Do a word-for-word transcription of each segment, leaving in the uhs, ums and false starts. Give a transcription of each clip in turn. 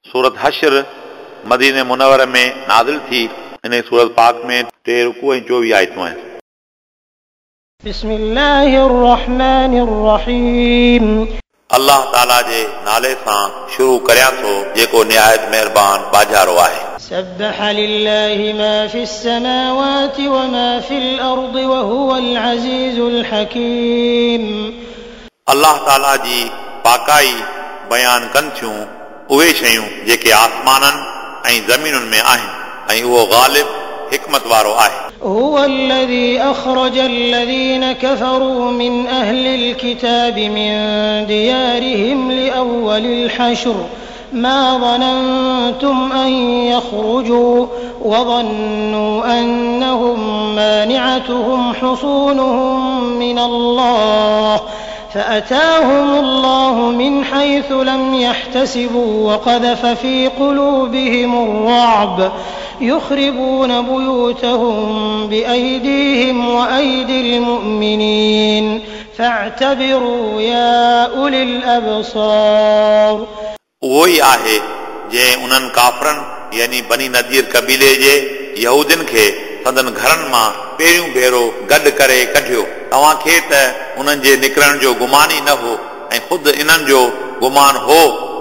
सूरत हशर मदीने मुनवर में नाज़िल थी। इन सूरत पाक में टे रुकू ऐं चोवीह आयतूं आहिनि। बिस्मिल्लाहिर्रहमानिर्रहीम। अल्लाह ताला जे नाले सां शुरू करियां थो जेको निहायत मेहरबान बाजारो आहे। सब्बह लिल्लाहि मा फिस समावाति व मा फिल अर्दि व हुवल अज़ीज़ुल हकीम। अल्लाह ताला जी पाकाई बयान कनि थियूं उहे शयूं जेके आसमाननि ऐं ज़मीनुनि में आहिनि ऐं उहो ग़ालिब हिकमत वारो आहे। هو الذي أخرج الذين كفروا من أهل الكتاب من ديارهم لأول الحشر ما ظننتم أن يخرجوا وظنوا أنهم مانعتهم حصونهم من الله فأتاهم الله من حيث لم يحتسبوا وقذف في قلوبهم الرعب يخربون بيوتهم بأيديهم وأيدي المؤمنين فاعتبروا يا أولي الأبصار। उहो ई आहे जंहिं उन्हनि काफ़रनि यानी बनी नदीर कबीले जे यहूदियुनि खे संदन घरनि मां पहिरियों भेरो गॾु करे कढियो। तव्हांखे त उन्हनि जे निकिरण जो गुमान ई न हो ऐं ख़ुदि इन्हनि जो गुमान हो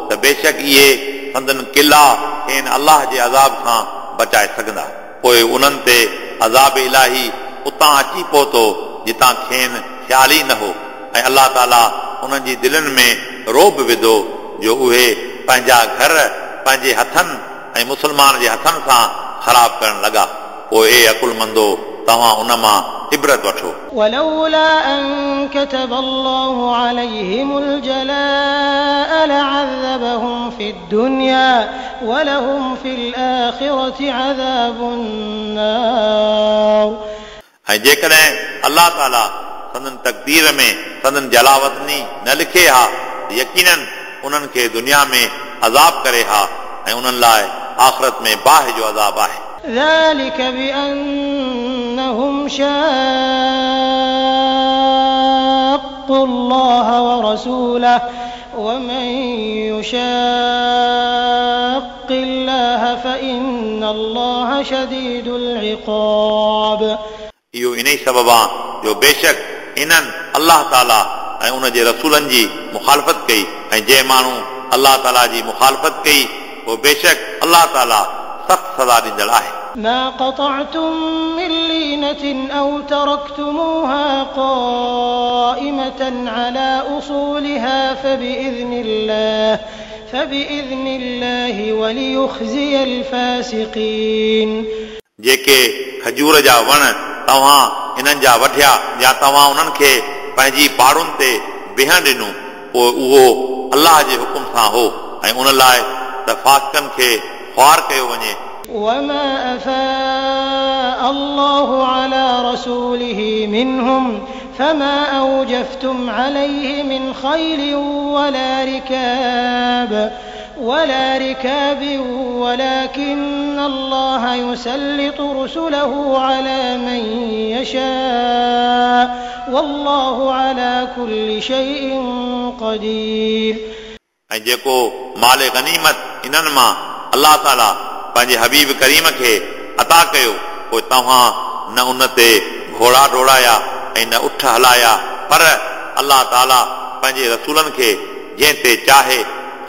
त बेशक इहे संदन किला खेनि अल्लाह जे अज़ाब खां बचाए सघंदा। पोइ उन्हनि ते अज़ाब इलाही उतां अची पहुतो जितां खेनि ख़्याल ई न हो ऐं अल्लाह ताला उन्हनि जी दिलनि में रोब विधो जो उहे पंहिंजा घर पंहिंजे हथनि ऐं मुस्लमान जे हथनि सां ख़राब करण लॻा। पोइ ए अकुलमंदो तव्हां उन मां इबरत वठो। ولولا أن كتب الله عليهم الجلاء لعذبهم في الدنيا ولهم في الآخرة عذاب النار। ऐं जेकॾहिं अल्लाह ताला संदन तक़दीर में संदन जलावतनी न लिखे हा यकीनन उन्हनि खे दुनिया में अज़ाब करे हा ऐं उन्हनि लाइ आख़िरत में बाहि जो अज़ाब आहे। ذلك بأنهم شاقوا الله ورسوله ومن يشاق الله فإن الله شديد العقاب। इहो इन ई सबब आहे जो बेशक इन्हनि अल्लाह ताला ऐं उन जे रसूलनि जी मुखालफ़त कई ऐं जंहिं माण्हू अल्लाह ताला जी मुखालफ़त कई उहो बेशक अल्लाह ताला सख़्त सज़ा ॾींदड़ आहे। ما قطعتم من لينة أو تركتموها قائمة على أصولها فبإذن الله فبإذن الله وليخزي الفاسقين। जेके खजूर जा वण तव्हां इन्हनि जा वठिया या तव्हां उन्हनि खे पंहिंजी पाड़ुनि ते बीहण ॾिनो पोइ उहो अल्लाह जे हुकुम सां हो ऐं उन लाइ त फासिकनि खे ख़्वार कयो वञे। وما أفاء الله على رسوله منهم فما أوجفتم عليه من خيل ولا ركاب ولا ركاب ولكن الله يسلط رسله على من يشاء والله على كل شيء قدير। ऐं जेको माल गनीमत इन्हनि मां अल्लाह ताला पंहिंजे हबीब करीम खे अता कयो पोइ तव्हां न उन ते घोड़ा डोड़ाया ऐं न उठ हलाया पर अल्लाह ताला पंहिंजे रसूलनि खे जंहिं ते चाहे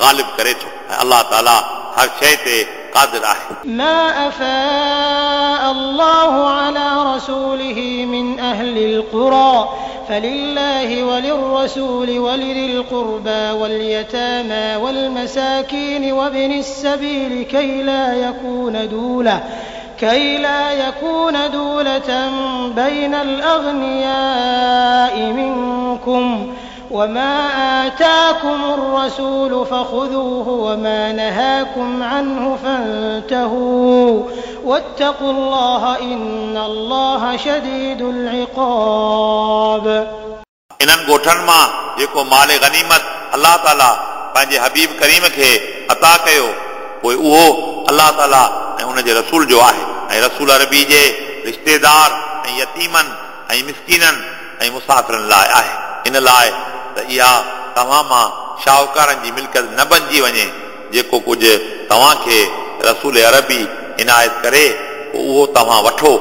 ग़ालिब करे थो ऐं अल्लाह ताला हर शइ ते क़ादिर आहे। ما أفاء الله على رسوله من أهل القرى فلله وللرسول ولذي القربى واليتامى والمساكين وابن السبيل كي لا يكون دولة كي لا يكون دولة بين الأغنياء منكم وما آتاكم الرسول فخذوه وما نهاكم عنه فانتهوا واتقوا الله إن الله شديد العقاب। इन्हनि ॻोठनि मां जेको माल गनीमत अल्लाह ताला पंहिंजे हबीब करीम खे अता कयो पोइ उहो अल्लाह ताला ऐं उन जे रसूल जो आहे ऐं रसूल अरबी जे रिश्तेदार ऐं यतीमनि ऐं मिसकीननि ऐं मुसाफ़िरनि लाइ आहे। इन लाइ त इहा तव्हां मां शाहूकारनि जी मिल्कियत न बणिजी वञे जेको कुझु तव्हांखे रसूल अरबी इनायत करे पोइ उहो तव्हां वठो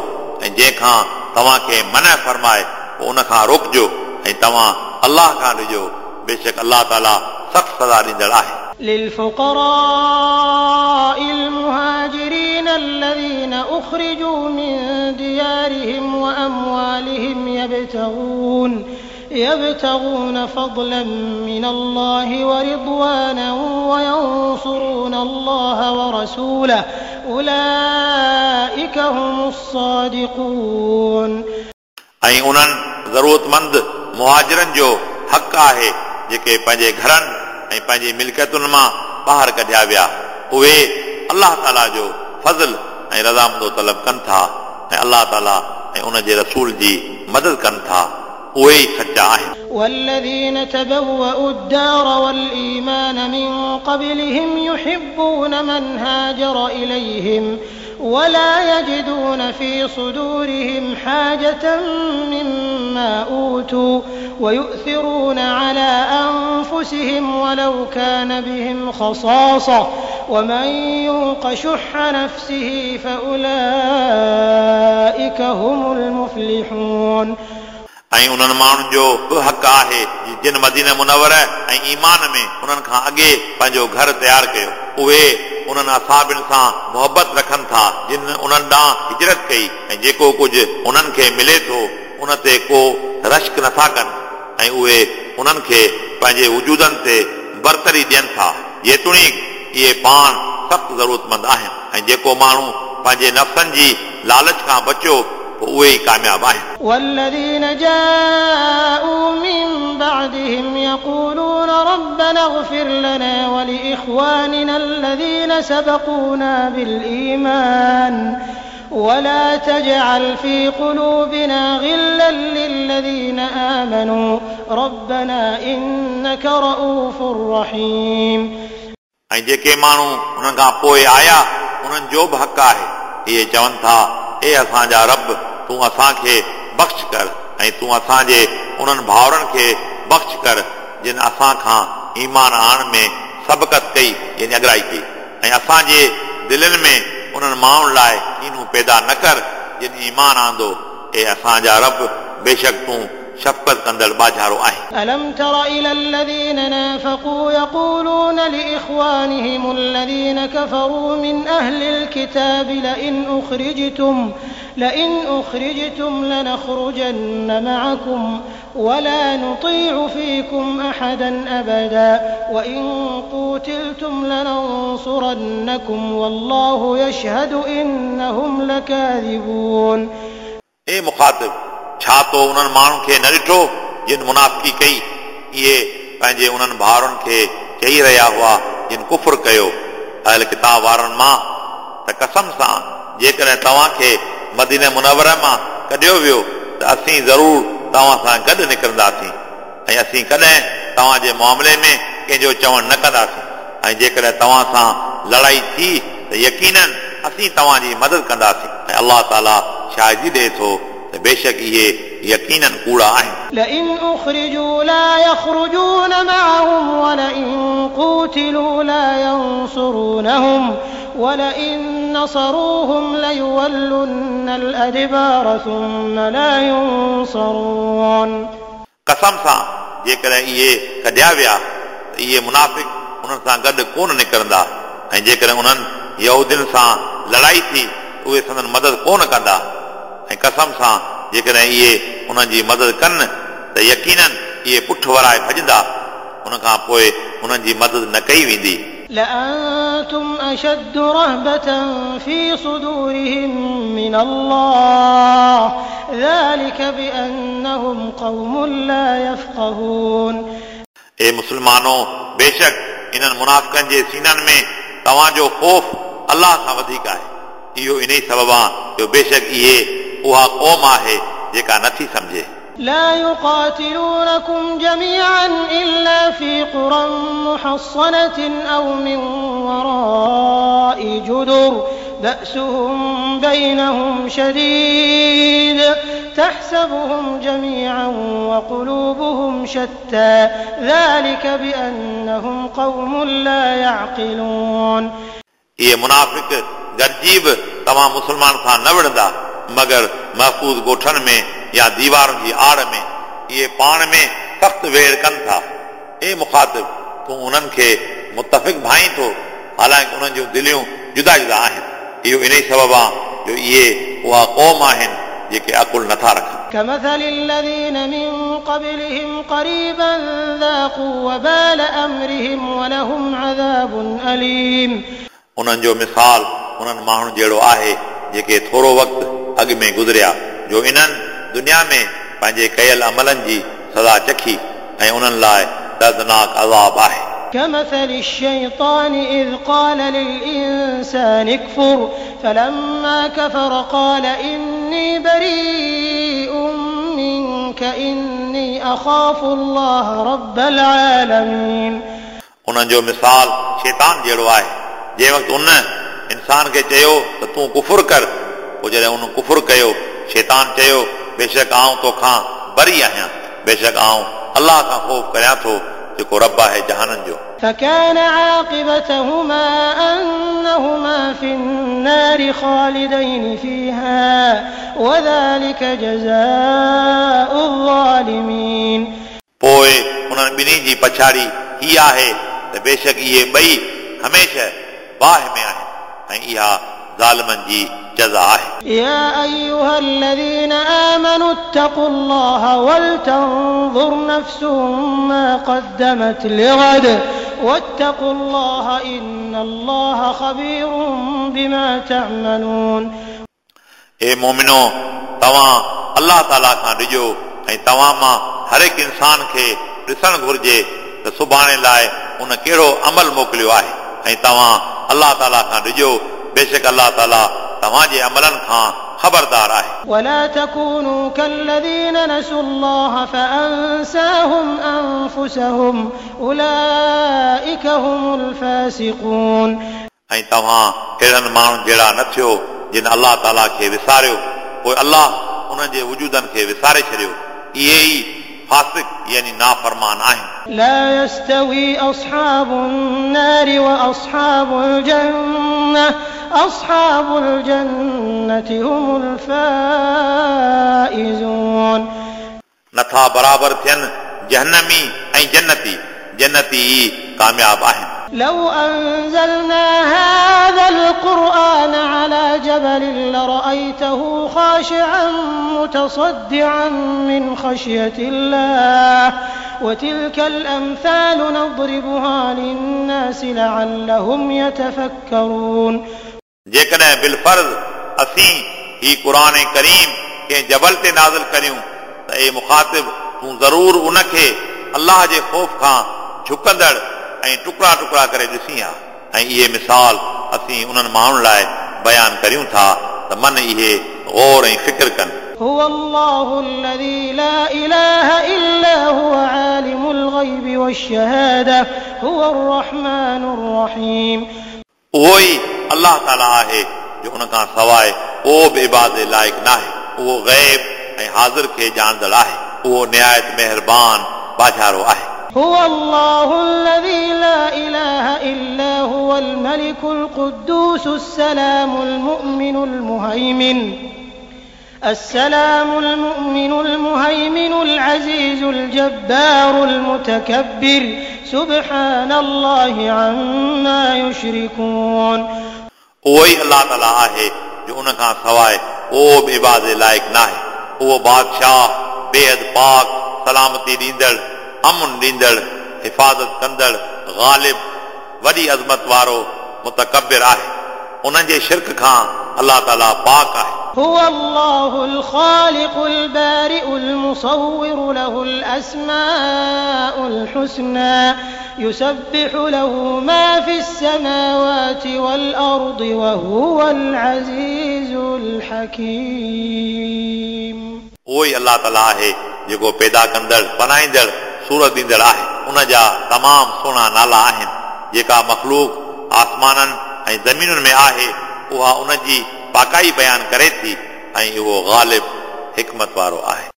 ऐं जंहिंखां तव्हांखे मना फरमाए पोइ उन खां रोकिजो ऐं तव्हां अलाह खां ॾिजो। बेशक अलाह ताला सख़्त सज़ा ॾींदड़ आहे। للفقراء المهاجرين الذين أخرجوا من ديارهم وأموالهم يبتغون يبتغون فضلا من الله ورضوانا وينصرون الله ورسوله أولئك هم الصادقون। ऐं उन्हनि ज़रूरतमंद मुहाजिरनि जो हक़ आहे जेके पंहिंजे घरनि ऐं पंहिंजी मिल्कियतुनि मां ॿाहिरि कढिया विया, उहे अलाह ताला जो फज़ल ऐं रज़ामंदो तलब कनि था ऐं अलाह ताला ऐं उन जे रसूल जी मदद कनि था, उहे ई सचा आहिनि। والذين تبوأوا الدار والإيمان من قبلهم يحبون من هاجر إليهم ولا يجدون في صدورهم حاجة مما أوتوا ويؤثرون على أنفسهم ولو كان بهم خصاصة ومن يوق شح نفسه فأولئك هم المفلحون। ऐं उन्हनि माण्हुनि जो बि हक़ आहे जिन मदीना मुनवर ऐं ईमान में उन्हनि खां अॻे पंहिंजो घर तयारु कयो, उहे उन्हनि असाबिनि सां मुहबत रखनि था जिन उन्हनि ॾांहुं हिजरत कई ऐं जेको कुझु उन्हनि खे मिले थो उन ते को रश्क नथा कनि ऐं उहे उन्हनि खे पंहिंजे वजूदनि ते बरतरी ॾियनि था, जेतोणीकि इहे पाण सख़्तु ज़रूरतमंद आहिनि। ऐं जेको माण्हू पंहिंजे नफ़्सनि जी लालच खां बचियो पोइ उहे ई कामयाबु आहिनि। والذين جاءوا من بعدهم يقولون ربنا اغفر لنا ولإخواننا الذين سبقونا بالإيمان ولا تجعل في قلوبنا غلا للذين آمنوا ربنا إنك رؤوف رحيم। ऐं जेके माण्हू उन्हनि खां पोइ आया उन्हनि जो बि हक़ आहे, इहे चवनि था ए असांजा रब, तूं असांखे बख़्श कर ऐं तूं असांजे उन्हनि भाउरनि खे बख़्श कर जिन असां खां ईमान आणण में सबक़त कई, यानी अगराई कई, ऐं असांजे दिलनि में उन्हनि माण्हुनि लाइ कीनूं पैदा न कर जिन ईमान आंदो। ए असांजा रब, बेशक तूं शफ़क़त कंदड़ बाजारो आहीं। ألم تر إلى الذين نافقوا يقولون لإخوانهم الذين كفروا من أهل الكتاب لئن أخرجتم لئن أخرجتم لنخرجن معكم ولا نطيع فيكم أحدا أبدا وإن قوتلتم لننصرنكم والله يشهد إنهم لكاذبون। ए मुखातिब, छा तो उन्हनि माण्हुनि खे न ॾिठो जिन मुनाफ़िकी कई? इहे पंहिंजे उन्हनि भाउरनि खे चई रहिया हुआ जिन कुफुर कयो अहल किताब वारनि मां, त कसम सां जेकॾहिं तव्हांखे मदीना मुनवर मां कढियो वियो त असीं ज़रूरु तव्हां सां गॾु निकिरंदासीं ऐं असीं कॾहिं तव्हांजे मामले में कंहिंजो चवणु न कंदासीं, ऐं जेकॾहिं तव्हां सां लड़ाई थी त यकीनन असीं तव्हांजी मदद कंदासीं ऐं अलाह ताला शाहिदी ॾिए थो त बेशक इहे यकीनन कूड़ा आहिनि। لئن أخرجوا لا يخرجون معهم ولئن قوتلوا لا ينصرونهم ولئن نصروهم ليولن الأدبار ثم لا ينصرون। कसम सां जेकॾहिं इहे कढिया विया त इहे मुनाफ़िक उन्हनि सां गॾु कोन निकिरंदा ऐं जेकॾहिं उन्हनि यहूदियुनि सां लड़ाई थी उहे संदन मदद कोन कंदा, ऐं कसम सां जेकॾहिं इहे उन्हनि जी मदद कनि त यकीनन इहे पुठ वराए भॼंदा, उन खां पोइ उन्हनि जी मदद न कई वेंदी। لأنتم أشد رهبة في صدورهم من الله ذلك بأنهم قوم لا يفقهون। ए मुसलमानो, बेशक इन्हनि मुनाफ़िकनि जे सीननि में तव्हांजो ख़ौफ़ अलाह सां वधीक आहे। इहो इन ई सबबु आहे जो बेशक इहे उहा क़ौम आहे जेका नथी सम्झे। لا يقاتلونكم جميعا إلا في قرى محصنة أو من وراء جدر بأسهم بينهم شديد تحسبهم جميعا وقلوبهم شتى ذلك بأنهم قوم لا يعقلون. इहे मुनाफ़िक गॾिजी बि तव्हां मुस्लमान सां न विढ़ंदा, मगर महफ़ूज़ ॻोठनि में या दीवारुनि जी आड़ में। इहे पाण में सख़्तु वेड़ कनि था। ए मुखातिब, तूं उन्हनि खे मुतफ़िक़ भाई थो, हालांकि उन्हनि जूं दिलियूं जुदा जुदा आहिनि। इहो इन ई सबबु आहे जो इहे उहा क़ौम आहिनि जेके अकुल नथा रखनि। كمثل الذين من قبلهم قريبا ذاقوا وبال أمرهم ولهم عذاب أليم। उन्हनि जो मिसाल उन्हनि माण्हुनि जहिड़ो आहे जेके थोरो वक़्तु अॻु में गुज़रिया, जो इन्हनि दुनिया में पंहिंजे कयल अमलनि जी सज़ा चखी ऐं उन्हनि लाइ दर्दनाक अज़ाब आहे। كمثل الشيطان إذ قال للإنسان اكفر فلما كفر قال إني بريء منك إني أخاف الله رب العالمين। उन्हनि जो मिसाल शैतान जहिड़ो आहे, जंहिं वक़्तु उन इंसान खे चयो त तूं कुफुर कर, पोइ जॾहिं उन कुफुर कयो, शैतान चयो बेशक आउं तोखां बरी आहियां, बेशक आउं अल्लाह खां ख़ौफ़ करियां थो जेको रब आहे जहाननि जो। فكان عاقبتهما أنهما في النار خالدين فيها وذلك جزاء الظالمين। पोइ उन्हनि ॿिन्ही जी पछाड़ी हीअ आहे त बेशक इहे ॿई हमेशह बाहि में आहिनि ऐं इहा ज़ालिमनि जी जज़ा आहे। يا أيها الذين آمنوا اتقوا الله ولتنظر نفس ما قدمت لغد واتقوا الله إن الله خبير بما تعملون। ए मोमिनो, तव्हां अल्लाह ताला खां डिॼो ऐं तव्हां मां हर हिकु इंसान खे ॾिसणु घुरिजे त सुभाणे लाइ उन कहिड़ो अमल मोकिलियो आहे, ऐं तव्हां अल्लाह ताला खां डिॼो, बेशक अल्लाह ताला तव्हांजे अमलनि खां ख़बरदार आहे। ولا تكونوا كالذين نسوا الله فأنساهم أنفسهم أولئك هم الفاسقون। ऐं तव्हां अहिड़नि माण्हुनि जहिड़ा न थियो जिन अल्लाह ताला खे विसारियो, पोइ अल्लाह उन्हनि जे वजूदनि खे विसारे छॾियो। इहे ई फासिक यानी नाफरमान आहिनि। لا يستوي أصحاب النار وأصحاب الجنة أصحاب الجنة هم الفائزون। नथा बराबर थियनि जहन्नमी ऐं जन्नती, जन्नती ई कामयाब आहिनि। لو أنزلنا هذا القرآن على جبل لرأيته خاشعا متصدعا من خشية الله وتلك الأمثال نضربها للناس لعلهم يتفكرون। जेकॾहिं बिलफर्ज़ असीं ही क़ुर करीम कंहिं जबल ते नाज़िल करियूं त ए मुखातिब, तूं ज़रूर उनखे अल्लाह जे ख़ौफ़ खां झुकंदड़ ऐं टुकड़ा टुकड़ा करे ॾिसी हा। ऐं इहे मिसाल असीं उन्हनि माण्हुनि लाइ बयानु करियूं था त मन इहे गौर ऐं फ़िक्र कनि। هو الله الذي لا إله إلا هو عالم الغيب والشهادة هو الرحمن الرحيم। उहो ई अल्लाह ताला आहे जो उन खां सवाइ को बि इबादत लाइक़ नाहे। उहो ग़ैब ऐं हाज़िर खे ॼाणंदड़ आहे। उहो निहायत महिरबान बाझारो आहे। هو الله الذي لا إله إلا هو الملك القدوس السلام المؤمن المهيمن السلام المؤمن المهيمن العزيز الجبار المتكبر سبحان الله عما يشركون। उहो ई अल्लाह ताला आहे जो उन खां सवाइ को बि इबादत लाइक़ नाहे। उहो बादशाह बेहद पाक, सलामती ॾींदड़, अमन ॾींदड़, हिफाज़त कंदड़, ग़ालिब, वॾी अज़मत वारो मुतकबिर आहे। उन्हनि जे शिरक खां अल्लाह ताला पाक आहे। هو الله الخالق البارئ المصور له الأسماء الحسنى يسبح له ما في السماوات والأرض وهو العزيز الحكيم। उहो ई अल्लाह ताला आहे जेको पैदा कंदड़, बनाईंदड़, सूरत ॾींदड़ आहे। उन जा तमामु सुहिणा नाला आहिनि। जेका मख़लूक आसमाननि ऐं ज़मीनुनि में आहे उहा उन जी पाकाई बयानु करे थी ऐं उहो ग़ालिब हिकमत वारो आहे।